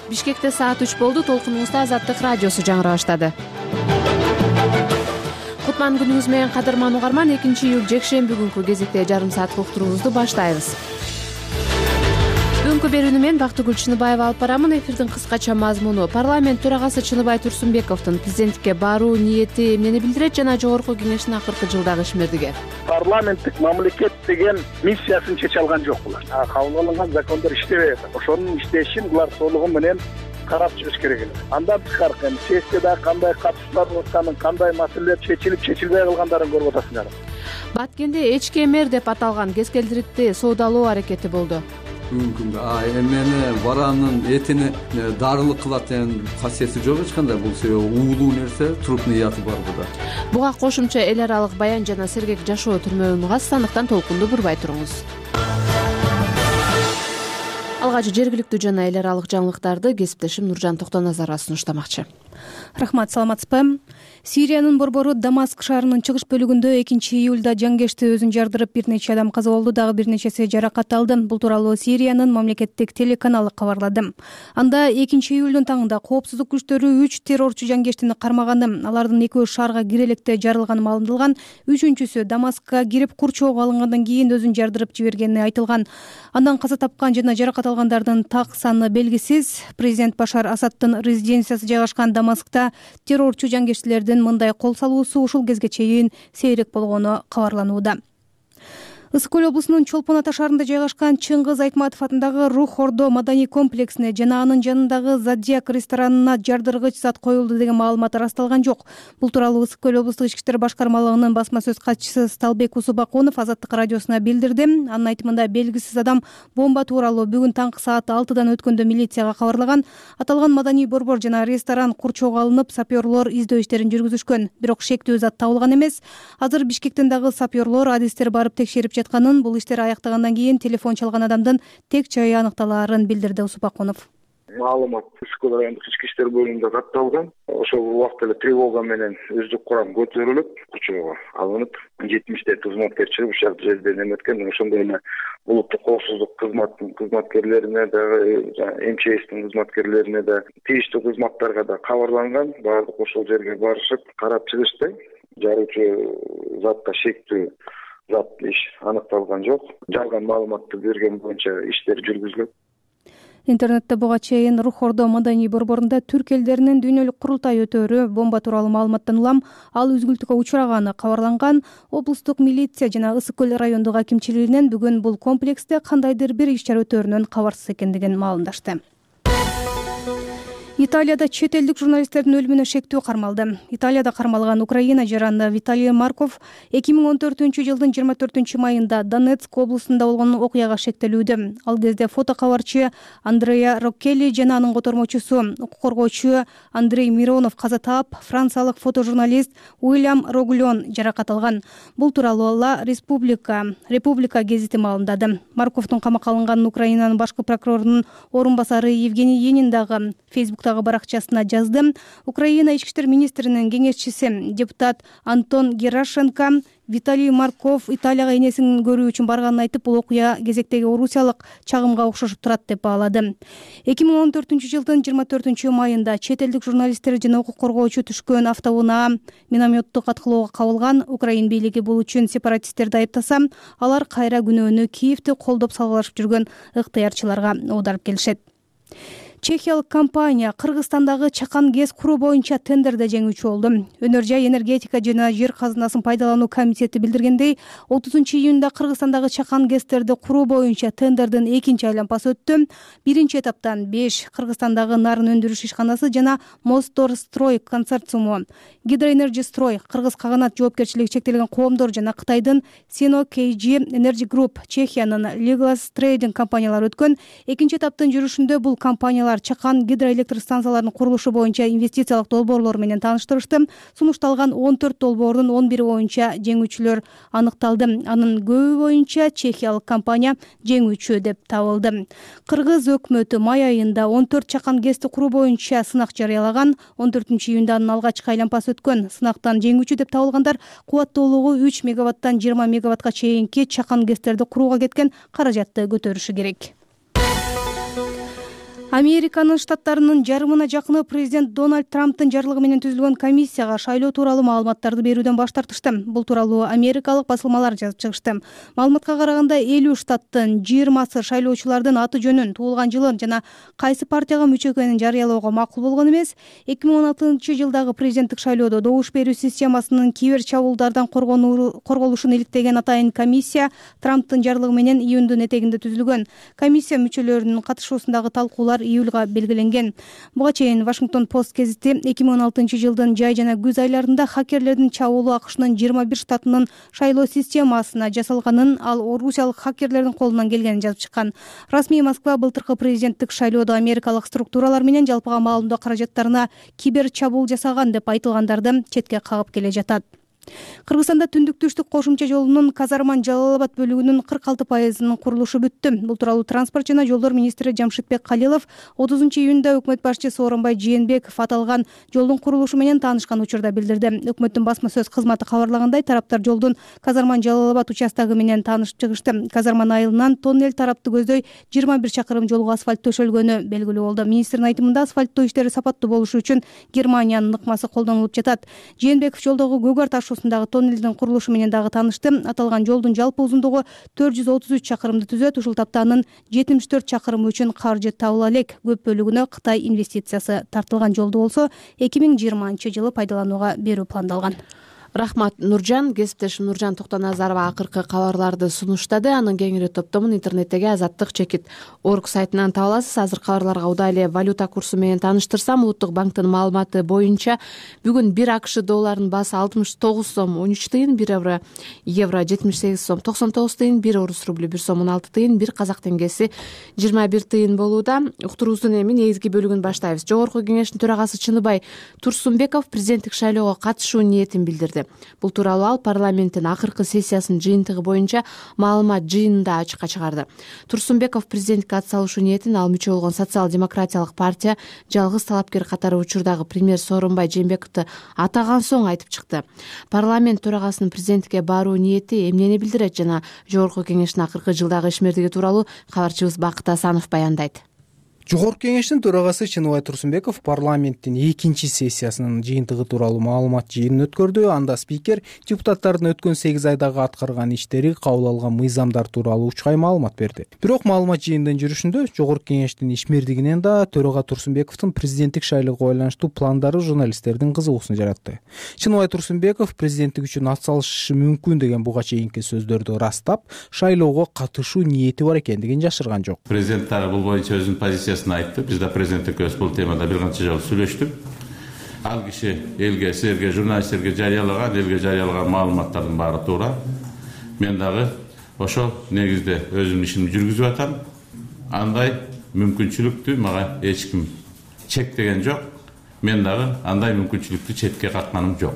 Бишкекте саат 3 болду. Толкунуңузда Азаттык радиосу жаңыра баштады. Кутман күнүңүз менен кадырман угарман. 2-июль жекшемби күнкү кезекте жарым сааттык уктуруубузду баштайбыз. Бүгүнкү берүүнү мен Бактыгүл Чыныбаева алып барамын. Эфирдин кыскача мазмуну: парламент төрагасы Чыныбай Турсунбековдун президенттикке баруу ниети эмнени билдирет жана жогорку кеңештин акыркы жылдагы ишмердиги. Парламенттик мамлекет деген миссиясын чече алган жок булар. Кабыл алынган закондор иштебей атат. Ошонун иштешин булар толугу менен карап чыгыш керек эле. Андан тышкары сессияда кандай катышуулар болуп атканын, кандай маселелер чечилип чечилбей калгандарын көрүп атасыңар. Баткенде ЭЧКМР деп аталган кескелдирикти соодалоо аракети болду. Бүгүнкү күндө эмени баранын этини дарылык кылат деген касиети жок эч кандай. Бул себеби уулуу нерсе, трупный яты бар буда. Буга кошумча эл аралык баян жана сергек жашоо түрмөгүн угасыз. Андыктан толкунду бурбай туруңуз. Алгач жергиликтүү жана эл аралык жаңылыктарды кесиптешим Нуржан Токтоназарова сунуштамакчы. Рахмат, саламатсызбы? Сириянын борбору Дамаск шаарынын чыгыш бөлүгүндө 2-июлда жангешти өзүн жардырып, бир нече адам каза болду, дагы бир нечеси жаракат алды. Бул тууралуу Сириянын мамлекеттик телеканалы кабарлады. Анда 2-июлдун таңында коопсуздук күчтөрү 3 террорчу жангештини кармаганы, алардын 2 шаарга кире электе жарылганы маалымдалган. 3-үчүсү Дамаскка кирип курчоого алынгандан кийин өзүн жардырып жибергени айтылган. Андан каза тапкан жана жаракат алгандардын так саны белгисиз. Президент Башар Асаддын резиденциясы жайгашкан Дамаскта террорчу жангештилердин мындай кол салуусу ушул кезге чейин сейрек болгону кабарланууда. Ысык көл облусунун Чолпон Ата шаарында жайгашкан Чыңгыз Айтматов атындагы Рух Ордо маданий комплексине жана анын жанындагы Зодиак ресторанына жардыргыч зат коюлду деген маалымат ырасталган жок. Бул тууралуу Ысык көл облустук ички иштер башкармалыгынын басма сөз катчысы Сталбек Усубакунов Азаттык радиосуна билдирди. Анын айтымында белгисиз адам бомба тууралуу бүгүн таңкы саат 6-дан өткөндө милицияга кабарлаган. Аталган маданий борбор жана ресторан курчоого алынып, сапёрлор издөө иштерин жүргүзүшкөн. Бирок шектүү зат табылган эмес. Азыр Бишкектен дагы сапёрлор адистер барып текшерип жатканын, бул иштер аяктагандан кийин телефон чалган адамдын тек жайы аныкталаарын билдирди Усупакунов. Маалымат Ысык көл райондук ички иштер бөлүмүндө катталган. Ошол убакта эле тревога менен өздүк курам көтөрүлүп, курчоого алынып, 70 кызматкер чыгып ушул жерден эметкен. Ошондой эле улуттук коопсуздук кызматтын кызматкерлерине дагы, МЧСтин кызматкерлерине да, тийиштүү кызматтарга да кабарланган. Баардык ошол жерге барышып, карап чыгышты. Жаруучу затта шектүү зат иш аныкталган жок. Жалган маалыматты берген боюнча иштер жүргүзүлөт. Интернетте буга чейин Рух Ордо маданий борборунда түрк элдеринин дүйнөлүк курултай өтөөрү бомба тууралуу маалыматтан улам ал үзгүлтүккө учураганы кабарланган. Облустук милиция жана Ысык көл райондук акимчилигинен бүгүн бул комплексте кандайдыр бир иш-чара өтөөрүнөн кабарсыз экендигин маалымдашты. Италияда чет элдик журналисттердин өлүмүнө шектүү кармалды. Италияда кармалган Украина жараны Виталий Марков 2014-жылдын 24-майында Донецк облусунда болгон окуяга шектелүүдө. Ал кезде фотокабарчы Андреа Роккелли жана анын котормочусу укук коргоочу Андрей Миронов каза таап, франциялык фотожурналист Уильям Роглон жаракат алган. Бул тууралуу Република гезити маалымдады. Марковдун камакка алынганын Украинанын башкы прокурорунун орун басары Евгений Енин дагы Фейсбуктагы баракчасына жазды. Украина ички иштер министринин кеңешчиси депутат Антон Герашенко Виталий Марков Италияга энесин көрүү үчүн барганын айтып, бул окуя кезектеги орусиялык чагымга окшошуп турат деп баалады. 2014-жылдын 24-майында чет элдик журналисттер жана укук коргоочу түшкөн автоунаа минометтук аткылоого кабылган. Украин бийлиги бул үчүн сепаратисттерди айыптаса, алар кайра күнөөнү Киевти колдоп салгылашып жүргөн ыктыярчыларга оодарып келишет. Чехиялык компания Кыргызстандагы чакан гез куруу боюнча тендерде жеңүүчү болду. Өнөр жай энергетика жана жер казынасын пайдалануу комитети билдиргендей, 30-июнда Кыргызстандагы чакан гэстерди куруу боюнча тендердин экинчи айланпасы өттү. Биринчи этаптан 5 Кыргызстандагы нарын өндүрүш ишканасы жана Мосторстрой консорциуму, Гидроэнерджистрой, Кыргыз Каганат жоопкерчилиги чектелген коомдор жана Кытайдын Sino KG Energy Group, Чехиянын Leglas Trading компаниялары өткөн. Экинчи этаптын жүрүшүндө бул компаниялар чакан гидроэлектр станцияларынын курулушу боюнча инвестициялык долбоорлор менен тааныштырышты. Сунушталган 14 долбоордун 11 боюнча жеңүүчүлөр аныкталды. Анын көбү боюнча чехиялык компания жеңүүчү деп табылды. Кыргыз өкмөтү май айында 14 чакан гэсти куруу боюнча сынак жарыялаган. 14-июнда анын алгачкы айланпасы өткөн. Сынактан жеңүүчү деп табылгандар кубаттуулугу 3 мегаваттан 20 мегаватка чейинки чакан гэстерди курууга кеткен каражатты көтөрүшү керек. Американын штаттарынын жарымына жакыны президент Дональд Трамптын жарлыгы менен түзүлгөн комиссияга шайлоо тууралуу маалыматтарды берүүдөн баш тартышты. Бул тууралуу америкалык басылмалар жазып чыгышты. Маалыматка караганда 50 штаттын 20сы шайлоочулардын аты жөнүн, туулган жылын жана кайсы партияга мүчө экенин жарыялоого макул болгон эмес. 2016-жылдагы президенттик шайлоодо добуш берүү системасынын кибер чабуулдардан корголушун иликтеген атайын комиссия Трамптын жарлыгы менен июндун этегинде түзүлгөн. Комиссия мүчөлөрүнүн катышуусундагы талкуулар июлга белгиленген. Буга чейин Washington Post гезити 2016-жылдын жай жана күз айларында хакерлердин чабуулу АКШнын 21 штатынын шайлоо системасына жасалганын, ал орусиялык хакерлердин колунан келгенин жазып чыккан. Расмий Москва былтыркы президенттик шайлоодо америкалык структуралар менен жалпыга маалымдоо каражаттарына кибер чабуул жасаган деп айтылгандарды четке кагып келе жатат. Кыргызстанда түндүк-түштүк кошумча жолунун Казарман-Жалал-Абад бөлүгүнүн 46%-нын курулушу бүттү. Бул тууралуу транспорт жана жолдор министри Жамшитбек Калилов 30-июнда өкмөт башчысы Сооронбай Жээнбеков аталган жолдун курулушу менен таанышкан учурда билдирди. Өкмөттүн басма сөз кызматы кабарлагандай, тараптар жолдун Казарман-Жалал-Абад участогу менен таанышып чыгышты. Казарман айылынан тоннель тарапты көздөй 21 чакырым жолго асфальт төшөлгөнү белгилүү болду. Министрдин айтымында асфальттоо иштери сапаттуу болушу үчүн Германиянын ыкмасы колдонулуп жатат. Жээнбеков жолдогу Көгөр ташуусундагы тоннелдин курулушу менен дагы таанышты. Аталган жолдун жалпы узундугу 433 чакырымды түзөт. Ушул тапта анын 74 чакырымы үчүн каржы табыла элек. Көп бөлүгүнө Кытай инвестициясы тартылган жолду болсо 2020-жылы пайдаланууга берүү пландалган. Рахмат, Нуржан. Кесиптешим Нуржан Токтоназарова акыркы кабарларды сунуштады. Анын кеңири топтомун интернеттеги azаттык-org сайтынан таба аласыз. Азыр кабарларга удай эле валюта курсу менен тааныштырсам, Улуттук банктын маалыматы боюнча бүгүн 1 АКШ долларынын баасы 69 сом 13 тыйын, 1 евро 78 сом 99 тыйын, 1 орус рублю 1 сом 16 тыйын, 1 казак теңгеси 21 тыйын болууда. Уктуруубуздун эми негизги бөлүгүн баштайбыз. Жогорку кеңештин төрагасы Чыныбай Турсунбеков президенттик шайлоого катышуу ниетин билдирди. Бул тууралуу ал парламенттин акыркы сессиясынын жыйынтыгы боюнча маалымат жыйынында ачыкка чыгарды. Турсунбеков президенттикке ат салышуу ниетин ал мүчө болгон социал-демократиялык партия жалгыз талапкер катары учурдагы премьер Сооронбай Жээнбековду атаган соң айтып чыкты. Парламент төрагасынын президенттикке баруу ниети эмнени билдирет жана жогорку кеңештин акыркы жылдагы ишмердиги тууралуу кабарчыбыз Бакыт Асанов баяндайт. Жогорку кеңештин төрагасы Чыныбай Турсунбеков парламенттин 2-чи сессиясынын жыйынтыгы тууралуу маалымат жыйынын өткөрдү. Анда спикер депутаттардын өткөн 8 айдагы аткарган иштери, кабыл алган мыйзамдар тууралуу учкай маалымат берди. Бирок маалымат жыйынынын жүрүшүндө жогорку кеңештин ишмердигинен да төрага Турсунбековдун президенттик шайлоого байланыштуу пландары журналисттердин кызыгуусун жаратты. Чыныбай Турсунбеков президенттик үчүн ат салышы мүмкүн деген буга чейинки сөздөрдү ырастап, шайлоого катышуу ниети бар экендигин жашырган жок. Президент дагы бул боюнча өзүнүн позициясын айтты. Биз да президенттик өз бул темада бир канча жолу сүйлөштүк. Ал киши элге, силерге, журналисттерге элге жарыялаган маалыматтардын баары туура. Мен дагы ошол негизде өзүмдүн ишимди жүргүзүп атам. Андай мүмкүнчүлүктү мага эч ким чектеген жок. Мен дагы андай мүмкүнчүлүктү четке катканым жок.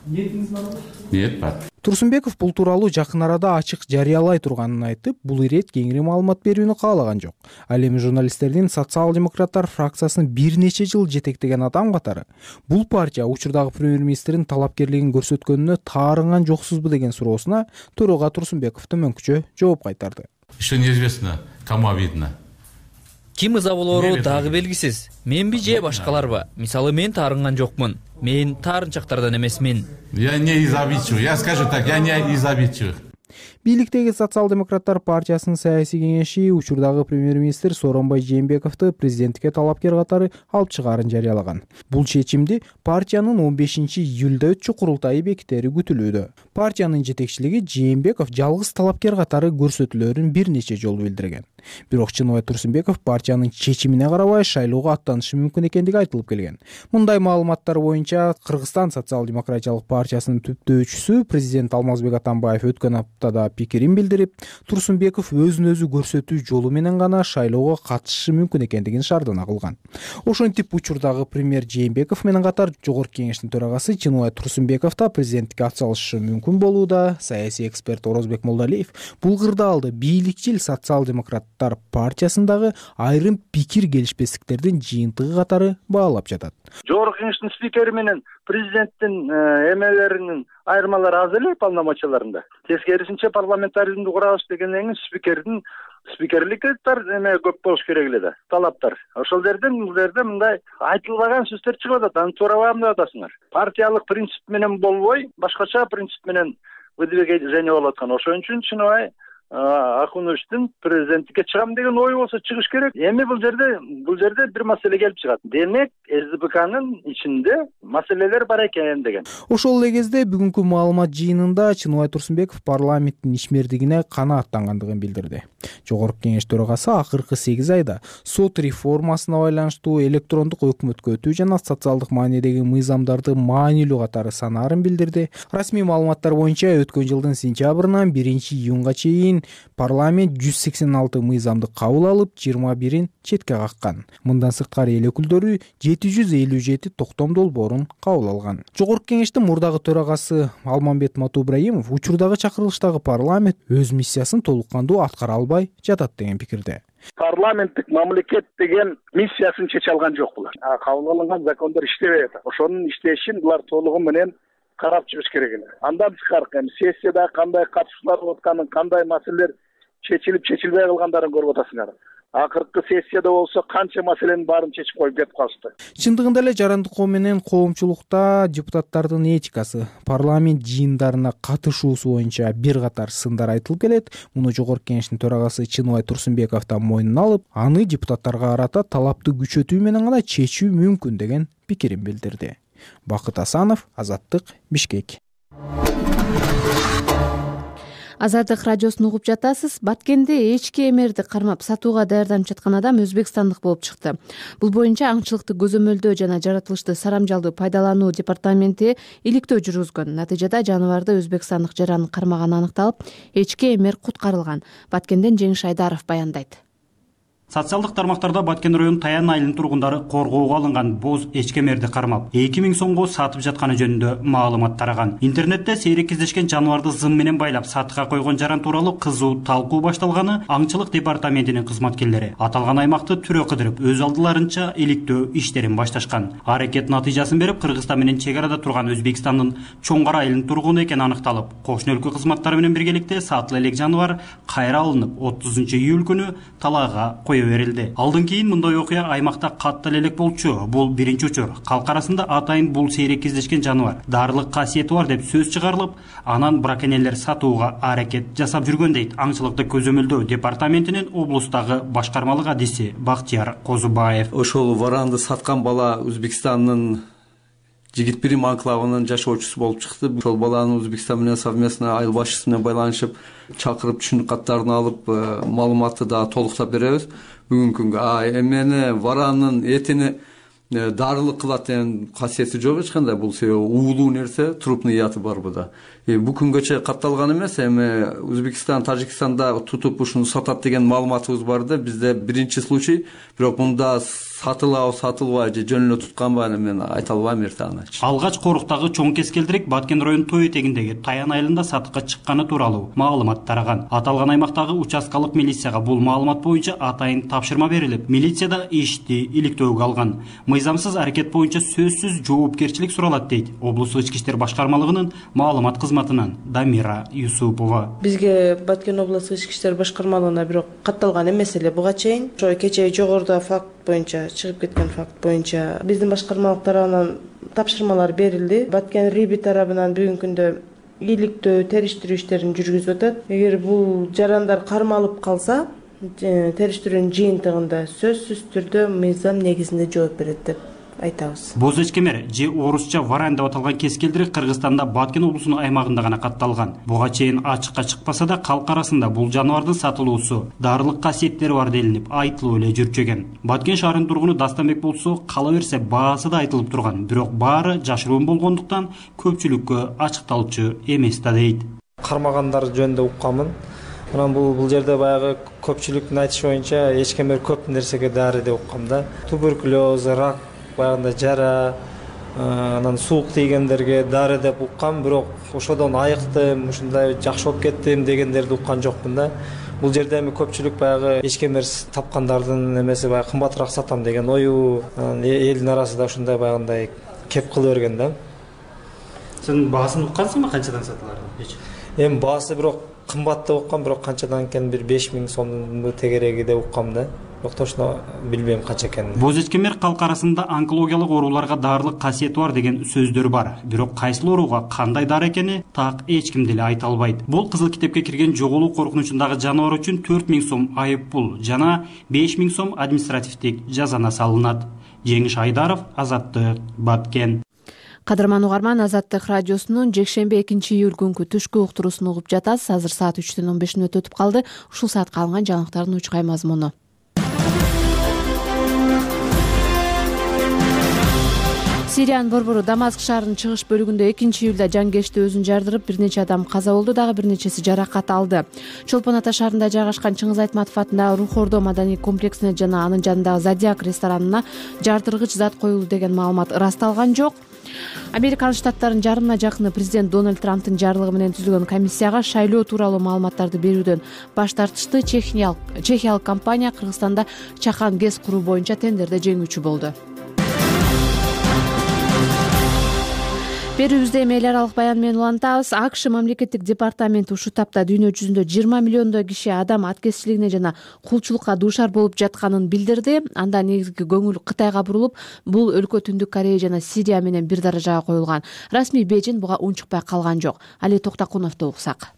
Ниетиңиз барбы? Ниет бар. Турсунбеков бул тууралуу жакын арада ачык жарыялай турганын айтып, бул ирет кеңири маалымат берүүнү каалаган жок. Ал эми журналисттердин социал-демократтар фракциясын бир нече жыл жетектеген адам катары бул партия учурдагы премьер-министрдин талапкерлигин көрсөткөнүнө таарынган жоксузбу деген суроосуна төрага Турсунбеков төмөнкүчө жооп кайтарды. Еще неизвестно, кому обидно. Ким ыза болору дагы белгисиз. Менби же башкаларбы? Мисалы мен таарынган жокмун. Мен таарынчактардан эмесмин. Я не из обидчивых. Я скажу так, я не из обидчивых. Бийликтеги социал-демократтар партиясынын саясий кеңеши учурдагы премьер-министр Сооронбай Жээнбековду президенттикке талапкер катары алып чыгаарын жарыялаган. Бул чечимди партиянын 15-июлда өтчү курултайы бекитери күтүлүүдө. Партиянын жетекчилиги Жээнбеков жалгыз талапкер катары көрсөтүлөрүн бир нече жолу билдирген. Бирок Чыныбай Турсунбеков партиянын чечимине карабай шайлоого аттанышы мүмкүн экендиги айтылып келген. Мындай маалыматтар боюнча Кыргызстан социал-демократиялык партиясынын түптөөчүсү президент Алмазбек Атамбаев өткөн аптада пикирин билдирип, Турсунбеков өзүн өзү көрсөтүү жолу менен гана шайлоого катышышы мүмкүн экендигин шаардана кылган. Ошентип учурдагы премьер Жээнбеков менен катар жогорку кеңештин төрагасы Чыныбай Турсунбеков да президенттикке ат салышы мүмкүн болууда. Саясий эксперт Орозбек Молдалиев бул кырдаалды бийликчил социал-демократ демократтар партиясындагы айрым пикир келишпестиктердин жыйынтыгы катары баалап жатат. Жогорку кеңештин спикери менен президенттин эмелеринин айырмалары аз эле полномочияларында. Тескерисинче парламентаризмди курабыз дегенден кийин спикерликке эме көп болуш керек эле да, талаптар. Ошол жерден бул жерде мындай айтылбаган сөздөр чыгып атат. Аны туурабам деп атасыңар. Партиялык принцип менен болбой, башкача принцип менен выдвижение болуп аткан. Ошон үчүн чыныбай Акуновичтин президенттикке чыгам деген ою болсо чыгыш керек. Эми бул жерде бир маселе келип чыгат. Демек, СДПКнын ичинде маселелер бар экен деген. Ошол эле кезде бүгүнкү маалымат жыйынында Чыныбай Турсунбеков парламенттин ишмердигине канааттангандыгын билдирди. Жогорку кеңеш төрагасы акыркы 8 айда сот реформасына байланыштуу электрондук өкмөткө өтүү жана социалдык маанидеги мыйзамдарды маанилүү катары санаарын билдирди. Расмий маалыматтар боюнча өткөн жылдын сентябрынан 1-июнга чейин парламент 186 мыйзамды кабыл алып, 21-ин четке каккан. Мындан сырткары эл өкүлдөрү 757 токтом долбоорун кабыл алган. Жогорку кеңештин мурдагы төрагасы Алмамбет Матубраимов учурдагы чакырылыштагы парламент өз миссиясын толук кандуу аткара албай жатат деген пикирде. Парламенттик мамлекет деген миссиясын чече алган жок булар. Кабыл алынган закондор иштебей атат. Ошонун иштешин булар толугу менен карап чыгыш керек эле. Андан тышкары сессияда кандай катышуулар болуп атканын, кандай маселелер чечилбей калгандарын көрүп атасыңар. Акыркы сессияда болсо канча маселенин баарын чечип коюп кетип калышты. Чындыгында эле жарандык ком менен коомчулукта депутаттардын этикасы, парламент жыйындарына катышуусу боюнча бир катар сындар айтылып келет. Муну жогорку кеңештин төрагасы Чыныбай Турсунбеков да мойнуна алып, аны депутаттарга карата талапты күчөтүү менен гана чечүү мүмкүн деген пикирин билдирди. Бакыт Асанов, Азаттык, Бишкек. Азаттык радиосун угуп жатасыз. Баткенде эчки эмерди кармап сатууга даярданып жаткан адам өзбекстандык болуп чыкты. Бул боюнча аңчылыкты көзөмөлдөө жана жаратылышты сарамжалдуу пайдалануу департаменти иликтөө жүргүзгөн. Натыйжада жаныбарды өзбекстандык жаран кармаганы аныкталып, эчки эмер куткарылган. Баткенден Жеңиш Айдаров баяндайт. Социалдык тармактарда Баткен районунун Таян айылынын тургундары коргоого алынган боз эчкемерди кармап 2000 сомго сатып жатканы жөнүндө маалымат тараган. Интернетте сейрек кездешкен жаныбарды зым менен байлап сатыкка койгон жаран тууралуу кызуу талкуу башталганы аңчылык департаментинин кызматкерлери аталган аймакты түрө кыдырып өз алдыларынча иликтөө иштерин башташкан. Аракет натыйжасын берип Кыргызстан менен чек арада турган Өзбекстандын Чоңгар айылынын тургуну экени аныкталып, кошуна өлкө кызматтары менен биргеликте сатыла элек жаныбар кайра алынып 30-июль күнү талаага берилди. Алдан кийин мындай окуя аймакта катты элек болчу. Бул биринчи учур. Калк арасында атайын бул сейрек кездешкен жаныбар дарылык касиети бар деп сөз чыгарылып, анан браконьерлер сатууга аракет жасап жүргөн дейт аңчылыкты көзөмөлдөө департаментинин облустагы башкармалык адиси Бактияр Козубаев. Ошол варанды саткан бала Өзбекстандын Жигит Бирим анклавынын жашоочусу болуп чыкты. Ошол баланы Өзбекстан менен совместно айыл башчысы менен байланышып, чакырып түшүнүк каттарын алып, маалыматты да толуктап беребиз. Бүгүнкү күнгө эмени варанын этини дарылык кылат деген касиети жок эч кандай. Бул себеби уулуу нерсе, трупный яты бар буда. Бул күнгөчө катталган эмес. Эми Өзбекстан, Тажикстанда тутуп ушуну сатат деген маалыматыбыз бар да. Бизде биринчи случай, бирок мында сатылбай же жөн эле тутканбы мен айта албайм эртеаңачы. Алгач Коруктагы чоң кескелдирик Баткен районунун тоо этегиндеги Таян айылында сатыкка чыкканы тууралуу маалымат тараган. Аталган аймактагы участкалык милицияга бул маалымат боюнча атайын тапшырма берилип, милиция да ишти иликтөөгө алган. Мыйзамсыз аракет боюнча сөзсүз жоопкерчилик суралат дейт облустук ички иштер башкармалыгынын маалымат кызматынан Дамира Юсупова. Бизге Баткен облустук ички иштер башкармалыгына бирок катталган эмес эле буга чейин. Ошо кечээ жогоруда факт боюнча чыгып кеткен факт боюнча биздин башкармалык тарабынан тапшырмалар берилди. Баткен РИБИ тарабынан бүгүнкү күндө иликтөө, териштирүү иштерин жүргүзүп атат. Эгер бул жарандар кармалып калса, териштирүүнүн жыйынтыгында сөзсүз түрдө мыйзам негизинде жооп берет деп айтабыз. Боз эчкемер же орусча варан деп аталган кескелдирик Кыргызстанда Баткен облусунун аймагында гана катталган. Буга чейин ачыкка чыкпаса да калк арасында бул жаныбардын сатылуусу дарылык касиеттери бар делинип айтылып эле жүрчү. Баткен шаарынын тургуну Дастанбек болсо кала берсе баасы да айтылып турган, бирок баары жашыруун болгондуктан көпчүлүккө ачыкталчу эмес да дейт. Кармагандар жөнүндө укканмын. Анан бул жерде баягы көпчүлүктүн айтышы боюнча эчкемер көп нерсеге дары деп уккам да. Туберкулез, рак, баягында жара, анан суук тийгендерге дары деп уккам, бирок ошодон айыктым, ушундай жакшы болуп кеттим дегендерди уккан жокмун да. Бул жерде эми көпчүлүк баягы ичкемер тапкандардын эмеси баягы кымбатыраак сатам деген ою элдин арасында ушундай баягындай кеп кыла берген да. Сен баасын уккансыңбы, канчадан сатыларын? Эми баасы бирок кымбат деп уккам, бирок канчадан экенин бир 5000 сомдун тегереги деп уккам да. Бирок точно билбейм канча экенин. Боз эчкемер калк арасында онкологиялык ооруларга дарылык касиети бар деген сөздөр бар. Бирок кайсыл ооруга кандай дары экени так эч ким деле айта албайт. Бул кызыл китепке кирген жоголуу коркунучундагы жаныбар үчүн 4000 сом айып пул жана 5000 сом административдик жазана салынат. Жеңиш Айдаров, Азаттык, Баткен. Кадырман угарман, Азаттык радиосунун жекшемби 2-июль күнкү түшкү уктуруусун угуп жатасыз. Азыр саат 3:15 өтүп калды. Ушул саатка алынган жаңылыктардын учкай мазмуну. Сириянын борбору Дамаск шаарынын чыгыш бөлүгүндө 2-июлда жангечти өзүн жардырып, бир нече адам каза болду, дагы бир нечеси жаракат алды. Чолпон Ата шаарында жайгашкан Чыңгыз Айтматов атындагы Рух Ордо маданий комплексине жана анын жанындагы Зодиак ресторанына жардыргыч зат коюлду деген маалымат ырасталган жок. Американ штаттарынын жарымына жакыны президент Дональд Трамптын жарлыгы менен түзүлгөн комиссияга шайлоо тууралуу маалыматтарды берүүдөн баш тартышты. Чехиялык компания Кыргызстанда чакан ГЭС куруу боюнча тендерде жеңүүчү болду. Берүүбүздө эми эл аралык баян менен улантабыз. АКШ мамлекеттик департаменти ушул тапта дүйнө жүзүндө 20 миллиондой киши адам аткезчилигине жана кулчулукка дуушар болуп жатканын билдирди. Анда негизги көңүл Кытайга бурулуп, бул өлкө Түндүк Корея жана Сирия менен бир даражага коюлган. Расмий Бейжин буга унчукпай калган жок. Али Токтокуновду уксак.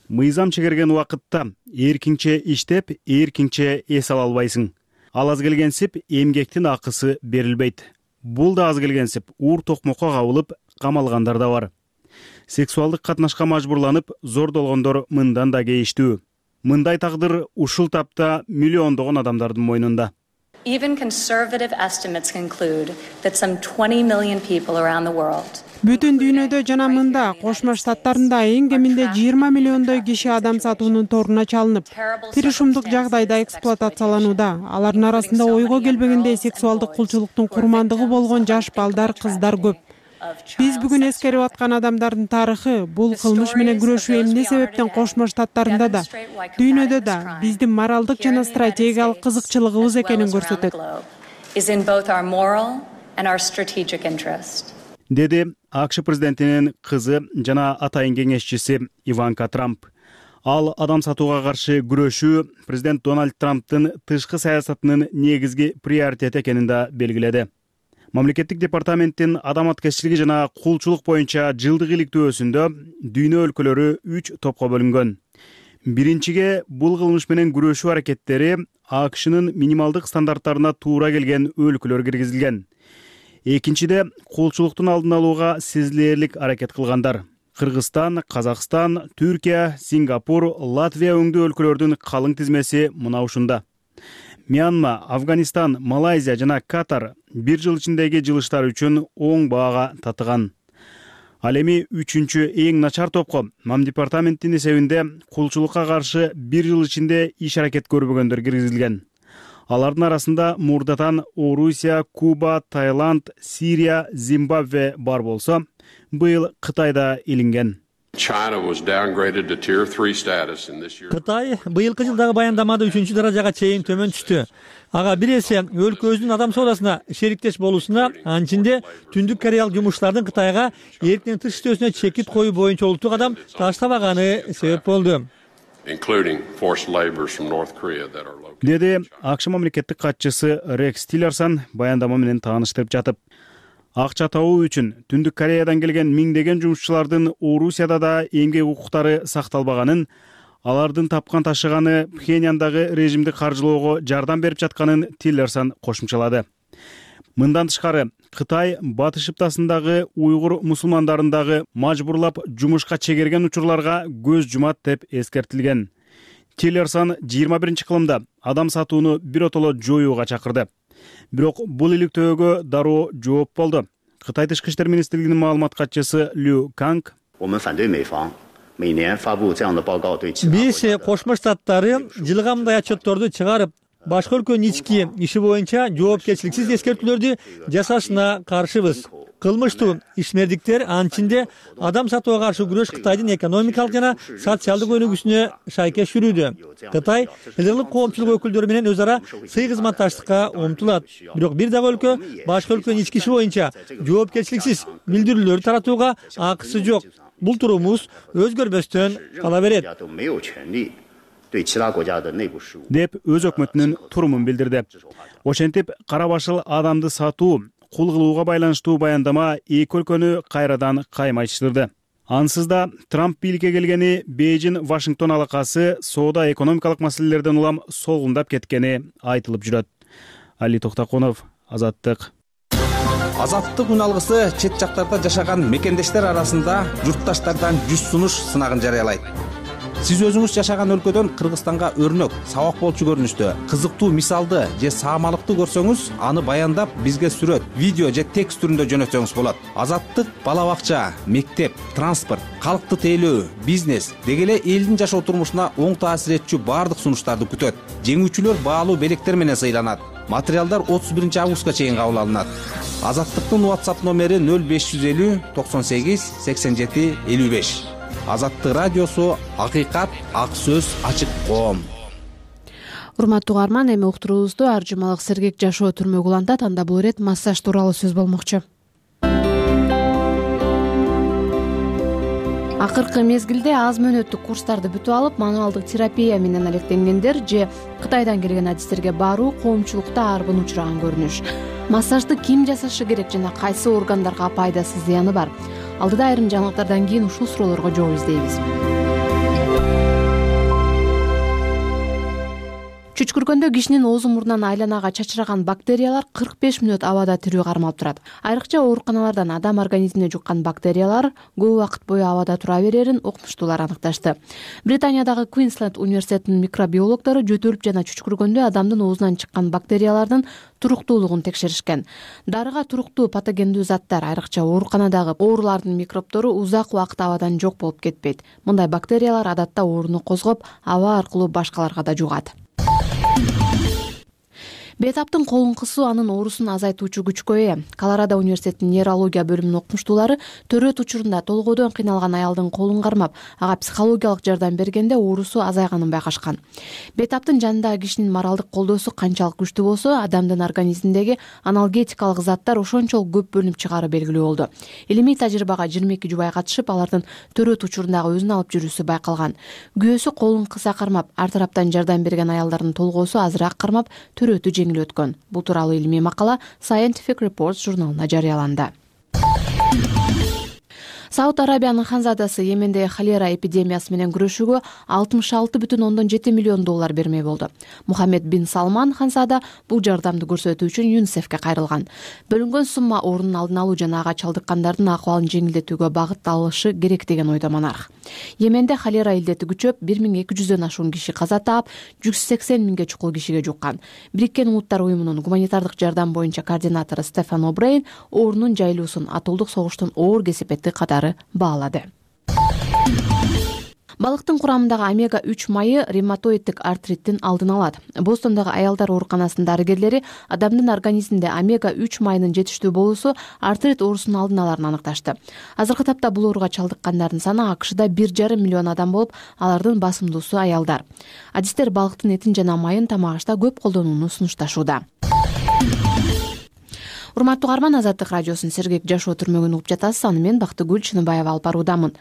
Мыйзам чегерген убакытта эркинче иштеп, эркинче эс ала албайсың. Ал аз келгенсип эмгектин акысы берилбейт. Бул да аз келгенсип уур токмокко кабылып камалгандар да бар. Сексуалдык катнашка мажбурланып зордолгондор мындан да кейиштүү. Мындай тагдыр ушул тапта миллиондогон адамдардын мойнунда. Even conservative estimates conclude that some 20 million people around the world. Бүтүн дүйнөдө жана мында Кошмо Штаттарында эң кеминде 20 миллиондой киши адам сатуунун торуна чалынып, тиришумдук жагдайда эксплуатацияланууда. Алардын арасында ойго келбегендей сексуалдык кулчулуктун курмандыгы болгон жаш балдар, кыздар көп. Биз бүгүн эскерип аткан адамдардын тарыхы, бул кылмыш менен күрөшүү эмне себептен Кошмо Штаттарында да, дүйнөдө да биздин моралдык жана стратегиялык кызыкчылыгыбыз экенин көрсөтөт. Деди АКШ президентинин кызы жана атайын кеңешчиси Иванка Трамп. Ал адам сатууга каршы күрөшүү президент Дональд Трамптын тышкы саясатынын негизги приоритети экенин да белгиледи. Мамлекеттик департаменттин адам аткезчилиги жана кулчулук боюнча жылдык иликтөөсүндө дүйнө өлкөлөрү 3 топко бөлүнгөн. Биринчиге бул кылмыш менен күрөшүү аракеттери АКШнын минималдык стандарттарына туура келген өлкөлөр киргизилген. Экинчиде кулчулуктун алдын алууга сезилерлик аракет кылгандар. Кыргызстан, Казакстан, Түркия, Сингапур, Латвия өңдүү өлкөлөрдүн калың тизмеси мына ушунда. Мьянма, Афганистан, Малайзия жана Катар бир жыл ичиндеги жылыштар үчүн оң баага татыган. Ал эми 3-чү эң начар топко Мам департаменттин эсебинде кулчулукка каршы бир жыл ичинде иш аракет көрбөгөндөр киргизилген. Алардын арасында мурдатан Орусия, Куба, Таиланд, Сирия, Зимбабве бар болсо, быйыл Кытайда илинген. Кытай быйылкы жылдагы баяндамада 3-чү даражага чейин төмөн түштү. Ага бир эсе өлкөбүздүн адам соодасына шериктеш болуусуна, анын ичинде Түндүк Кореялык жумушчулардын Кытайга эрктен тыш иштөөсүнө чекит коюу боюнча улуттук адам таштабаганы себеп болду. Деди АКШ мамлекеттик катчысы Рекс Тиллерсон баяндама менен тааныштырып жатып. Акча табуу үчүн Түндүк Кореядан келген миңдеген жумушчулардын Орусияда да эмгек укуктары сакталбаганын, алардын тапкан ташыганы Пхеньяндагы режимди каржылоого жардам берип жатканын Тиллерсон кошумчалады. Мындан тышкары Кытай Батыш Шыптасындагы уйгур мусулмандарындагы мажбурлап жумушка чегерген учурларга көз жумат деп эскертилген. Тиллерсон 21-кылымда адам сатууну биротоло жоюуга чакырды. Бирок бул иликтөөгө дароо жооп болду. Кытай тышкы иштер министрлигинин маалымат катчысы Лю Канг биз Кошмо Штаттары жылга мындай отчетторду чыгарып, башка өлкөнүн ички иши боюнча жоопкерчиликсиз эскертүүлөрдү жасашына каршыбыз. кылмыштуу ишмердиктер анчинде адам сатууга каршы күрөш Кытайдын экономикалык жана социалдык өнүгүүсүнө шайкеш жүрүүдө. Кытай элдик коомчулук өкүлдөрү менен өз ара сый кызматташтыкка умтулат. Бирок бир дагы өлкө башка өлкөнүн ички иши боюнча жоопкерчиликсиз билдирүүлөр таратууга акысы жок. Бул турумубуз өзгөрбөстөн кала берет деп өз өкмөтүнүн турумун билдирди. Ошентип, кара башыл адамды сатуу, кул кылууга байланыштуу баяндама эки өлкөнү кайрадан каймайтыштырды. Ансыз да Трамп бийликке келгени Бейжин-Вашингтон алакасы соода экономикалык маселелерден улам солгундап кеткени айтылып жүрөт. Али Токтоконов, Азаттык. Азаттык үн алгысы чет жактарда жашаган мекендештер арасында журтташтардан 100 сунуш сынагын жарыялайт. Сиз өзүңүз жашаган өлкөдөн Кыргызстанга өрнөк, сабак болчу көрүнүштө, кызыктуу мисалды же саамалыкты көрсөңүз, аны баяндап бизге сүрөт, видео же текст түрүндө жөнөтсөңүз болот. Азаттык бала бакча, мектеп, транспорт, калкты тейлөө, бизнес деги эле элдин жашоо турмушуна оң таасир этчү баардык сунуштарды күтөт. Жеңүүчүлөр баалуу белектер менен сыйланат. Материалдар 31 августка чейин кабыл алынат. Азаттыктын WhatsApp номери 0550 98 87 55. Азаттык радиосу, акыйкат, ак сөз, ачык коом. Урматтуу угарман, эми уктуруубузду ар жумалык сергек жашоо түрмөгү улантат. Анда бул ирет массаж тууралуу сөз болмокчу. Акыркы мезгилде аз мөөнөттүк курстарды бүтүп алып, мануалдык терапия менен алектенгендер же Кытайдан келген адистерге баруу коомчулукта арбын учураган көрүнүш. Массажды ким жасашы керек жана кайсы органдарга пайдасы, зыяны бар? Алдыда айрым жаңылыктардан кийин ушул суроолорго жооп издейбиз. Чүчкүргөндө кишинин оозу мурдунан айланага чачыраган бактериялар 45 мүнөт абада тирүү кармалып турат. Айрыкча ооруканалардан адам организмине жуккан бактериялар көп убакыт бою абада тура берерин окумуштуулар аныкташты. Британиядагы Квинсленд университетинин микробиологдору жөтөлүп жана чүчкүргөндө адамдын оозунан чыккан бактериялардын туруктуулугун текшеришкен. Дарыга туруктуу патогендүү заттар, айрыкча ооруканадагы оорулардын микробтору узак убакыт абадан жок болуп кетпейт. Мындай бактериялар адатта ооруну козгоп, аба аркылуу башкаларга да жугат. Бейтаптын колуңкусу анын оорусун азайтуучу күчкө ээ. Колорадо университетинин нейрология бөлүмүнүн окумуштуулары төрөт учурунда толгойдон кыйналган аялдын колун кармап, ага психологиялык жардам бергенде оорусу азайганын байкашкан. Бейтаптын жанындагы кишинин моралдык колдоосу канчалык күчтүү болсо, адамдын организминдеги аналгетикалык заттар ошончолук көп бөлүнүп чыгаары белгилүү болду. Илимий тажрыйбага 22 жубай катышып, алардын төрөт учурундагы өзүн алып жүрүүсү байкалган. Күйөөсү колун кыса кармап, ар тараптан жардам берген аялдардын толгоосу азыраак кармап, төрөтү жеңил өткөн. Бул тууралуу илимий макала Scientific Reports журналына жарыяланды. Сауд Арабиянын ханзадасы Йеменде холера эпидемиясы менен күрөшүүгө 66,7 миллион доллар бермей болду. Мухаммед бин Салман ханзада бул жардамды көрсөтүү үчүн ЮНИСЕФке кайрылган. Бөлүнгөн сумма оорунун алдын алуу жана ага чалдыккандардын акыбалын жеңилдетүүгө багытталышы керек деген ойдо монарх. Йеменде холера илдети күчөп, 1200дөн ашуун киши каза таап, 180 миңге чукул кишиге жуккан. Бириккен Улуттар уюмунун гуманитардык жардам боюнча координатору Стефан О'Брейн оорунун жайылуусун атолдук согуштун оор кесепети катары баалады. Балыктын курамындагы омега-3 майы ревматоиддик артриттин алдын алат. Бостондогу аялдар ооруканасынын дарыгерлери адамдын организминде омега-3 майынын жетиштүү болуусу артрит оорусунун алдын аларын аныкташты. Азыркы тапта бул ооруга чалдыккандардын саны АКШда 1,5 миллион адам болуп, алардын басымдуусу аялдар. Адистер балыктын этин жана майын тамак ашта көп колдонууну сунушташууда. Урматтуу угарман, Азаттык радиосунун сергек жашоо түрмөгүн угуп жатасыз. Аны мен Бактыгүл Чыныбаева алып баруудамын.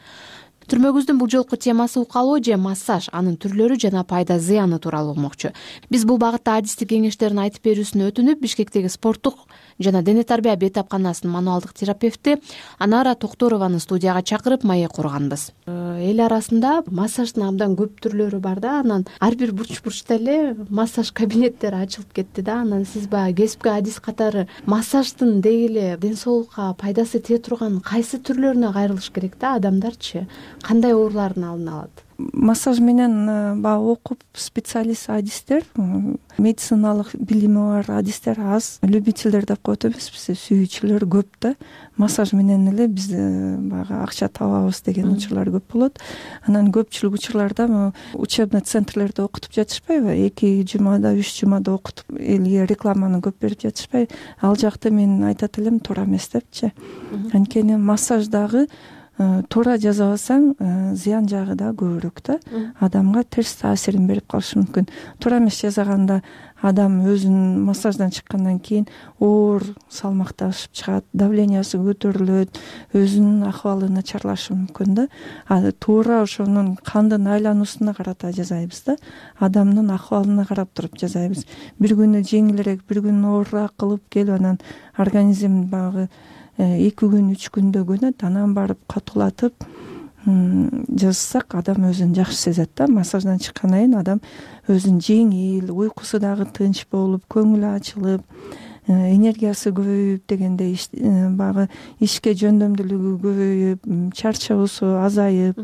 Түрмөгүбүздүн бул жолку темасы укалоо же массаж, анын түрлөрү жана пайда зыяны тууралуу болмокчу. Биз бул багытта адистик кеңештерин айтып берүүсүн өтүнүп, Бишкектеги спорттук жана дене тарбия бейтапканасынын мануалдык терапевти Анара Токторованы студияга чакырып маек курганбыз. Эл арасында массаждын абдан көп түрлөрү бар да, анан ар бир бурчта эле массаж кабинеттери ачылып кетти да. Анан сиз баягы кесипкөй адис катары массаждын деги эле ден соолукка пайдасы тие турган кайсы түрлөрүнө кайрылыш керек да, адамдарчы кандай оорулардын алдын алат? массаж менен баягы окуп специалист адистер, медициналык билими бар адистер аз, любительдер деп коет эмеспиз, сүйүүчүлөр көп да. Массаж менен эле биз баягы акча табабыз деген учурлар көп болот. Анан көпчүлүк учурларда учебный центрлерде окутуп жатышпайбы, 2 жумада 3 жумада окутуп элге рекламаны көп берип жатышпайбы, ал жакты мен айтат элем туура эмес депчи. Анткени массаждагы туура жасабасаң зыян жагы да көбүрөөк да, адамга терс таасирин берип калышы мүмкүн. Туура эмес жасаганда адам өзүнүн массаждан чыккандан кийин оор салмакташып чыгат, давлениясы көтөрүлөт, өзүнүн акыбалы начарлашы мүмкүн да. Туура ошонун кандын айлануусуна карата жасайбыз да, адамдын акыбалына карап туруп жасайбыз. Бир күнү жеңилирээк, бир күнү оорураак кылып келип анан организм баягы 2 күн 3 күндө көнөт, анан барып катуулатып жазсак адам өзүн жакшы сезет да. Массаждан чыккандан кийин адам өзүн жеңил, уйкусу дагы тынч болуп, көңүлү ачылып, энергиясы көбөйүп дегендей, баягы ишке жөндөмдүүлүгү көбөйүп, чарчоосу азайып,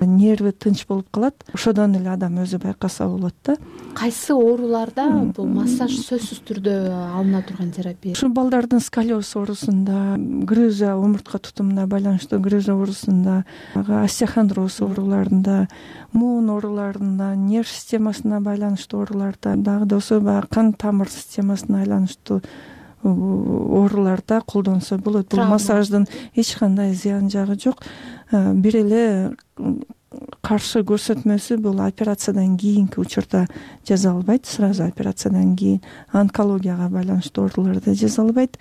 нерви тынч болуп калат. Ошодон эле адам өзү байкаса болот да. Кайсы ооруларда бул массаж сөзсүз түрдө алына турган терапия? Ушу балдардын сколиоз оорусунда, грыжа, омуртка тутумуна байланыштуу грыжа оорусунда, остеохондроз ооруларында, муун ооруларында, нерв системасына байланыштуу ооруларда, дагы да ошо баягы кан тамыр системасына байланыштуу ооруларда колдонсо болот. Бул массаждын эч кандай зыян жагы жок. Бир эле каршы көрсөтмөсү бул операциядан кийинки учурда жасалбайт, сразу операциядан кийин онкологияга байланыштуу ооруларда жасалбайт.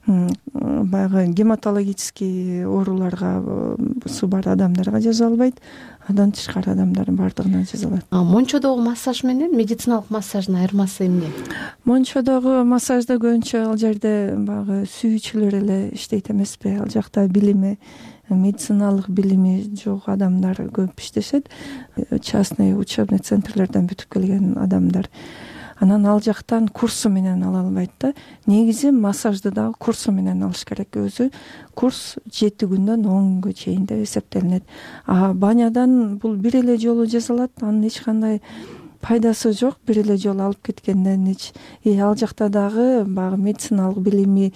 Баягы гематологический ооруларга бар адамдарга жасалбайт. Андан тышкары адамдардын бардыгына жасалат. Мончодогу массаж менен медициналык массаждын айырмасы эмне? Мончодогу массажда көбүнчө ал жерде баягы сүйүүчүлөр эле иштейт эмеспи? Ал жакта билими, медициналык билими жок адамдар көп иштешет. Частный учебный центрлерден бүтүп келген адамдар. Анан ал жактан курсу менен ала албайт да. Негизи массажды дагы курсу менен алыш керек. Өзү курс 7 күндөн 10 күнгө чейин деп эсептелинет. Банядан бул бир эле жолу жасалат, анын эч кандай пайдасы жок. Бир эле жолу алып кеткенден ал жакта дагы баягы медициналык билими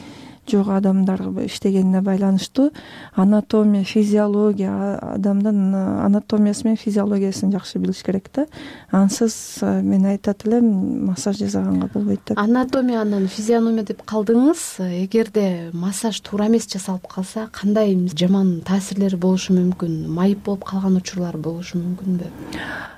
жок адамдар иштегенине байланыштуу анатомия, физиология, адамдын анатомиясы менен физиологиясын жакшы билиш керек да. Ансыз мен айтат элем массаж жасаганга болбойт деп. Анатомия анан физиономия деп калдыңыз. Эгерде массаж туура эмес жасалып калса, кандай жаман таасирлери болушу мүмкүн? Майып болуп калган учурлар болушу мүмкүнбү?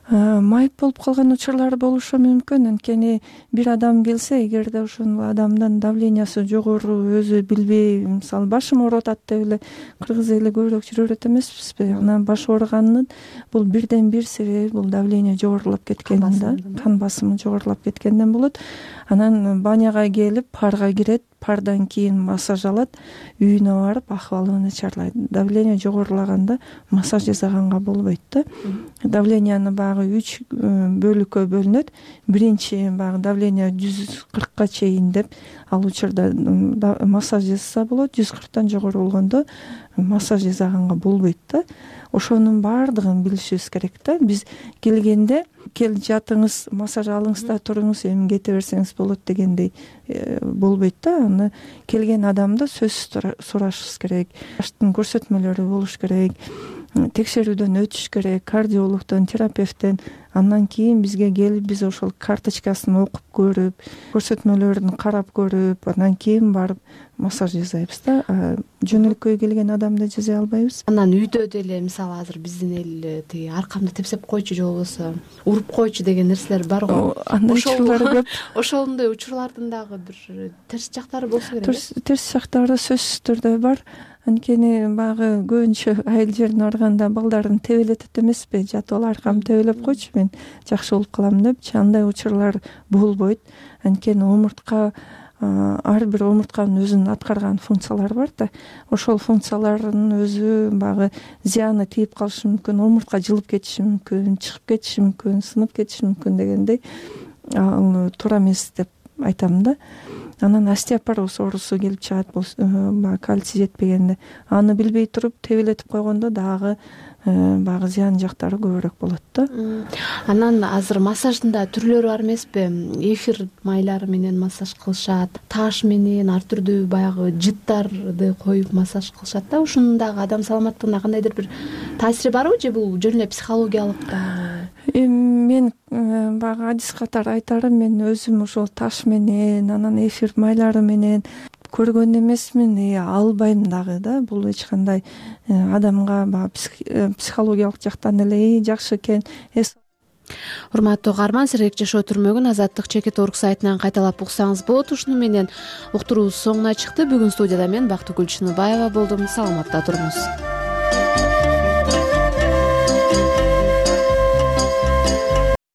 Майып болуп калган учурлар болушу мүмкүн. Анткени бир адам келсе, эгерде ошол адамдын давлениясы жогору, өзү билбей, мисалы башым ооруп атат деп эле кыргыз эли көбүрөөк жүрөт эмеспизби? Анан баш ооруганын бул бирден бир себеби бул давление жогорулап кеткен да, кан басымы жогорулап кеткенден болот. Анан баняга келип парга кирет, пардан кийин массаж алат, үйүнө барып акыбалы начарлайт. Давление жогорулаганда массаж жасаганга болбойт да. Давленияны баягы 3 бөлүккө бөлүнөт. Биринчи баягы давление 140ка чейин деп, ал учурда массаж жасаса болот. 140тан жогору болгондо массаж жасаганга болбойт да. Ошонун баардыгын билишибиз керек да. Биз келгенде кел жатыңыз, массаж алыңыз да туруңуз, эми кете берсеңиз болот дегендей болбойт да. Аны келген адамды сөзсүз сурашыбыз керек. Баштын көрсөтмөлөрү болуш керек. Текшерүүдөн өтүш керек, кардиологдон, терапевттен. Андан кийин бизге келип, биз ошол карточкасын окуп көрүп, көрсөтмөлөрүн карап көрүп, андан кийин барып массаж жасайбыз да. Жөнөлкөй келген адамды жасай албайбыз. Анан үйдө деле, мисалы азыр биздин эл тиги аркамды тепсеп койчу же болбосо уруп койчу деген нерселер бар го. Андай учурлар көп. Ошондой учурлардын дагы бир терс жактары болсо керек. Терс жактары сөзсүз түрдө бар. Анткени баягы көбүнчө айыл жерине барганда балдарын тебелетет эмеспи? Жатып ал аркам тебелеп койчу, мен жакшы болуп калам депчи. Андай учурлар болбойт. Анткени омуртка, ар бир омуртканын өзүнүн аткарган функциялары бар да. Ошол функциялардын өзү баягы зыяны тийип калышы мүмкүн, омуртка жылып кетиши мүмкүн, чыгып кетиши мүмкүн, сынып кетиши мүмкүн дегендей. Ал туура эмес деп айтам да. Анан остеопороз оорусу келип чыгат, баягы кальций жетпегенде. Аны билбей туруп тебелетип койгондо дагы баягы зыян жактары көбүрөөк болот да. Анан азыр массаждын да түрлөрү бар эмеспи? Эфир майлары менен массаж кылышат, таш менен ар түрдүү баягы жыттарды коюп массаж кылышат да. Ушунун дагы адам саламаттыгына кандайдыр бир таасири барбы же бул жөн эле психологиялык дагы? Мен баягы адис катары айтарым, мен өзүм ошол таш менен, анан эфир майлары менен көргөн эмесмин, албайм дагы да. Бул эч кандай адамга баягы психологиялык жактан эле жакшы экен. Урматтуу каарман, сергек жашоо түрмөгүн Азаттык чекит орг сайтынан кайталап уксаңыз болот. Ушуну менен уктуруубуз соңуна чыкты. Бүгүн студияда мен Бактыгүл Чыныбаева болдум. Саламатта туруңуз.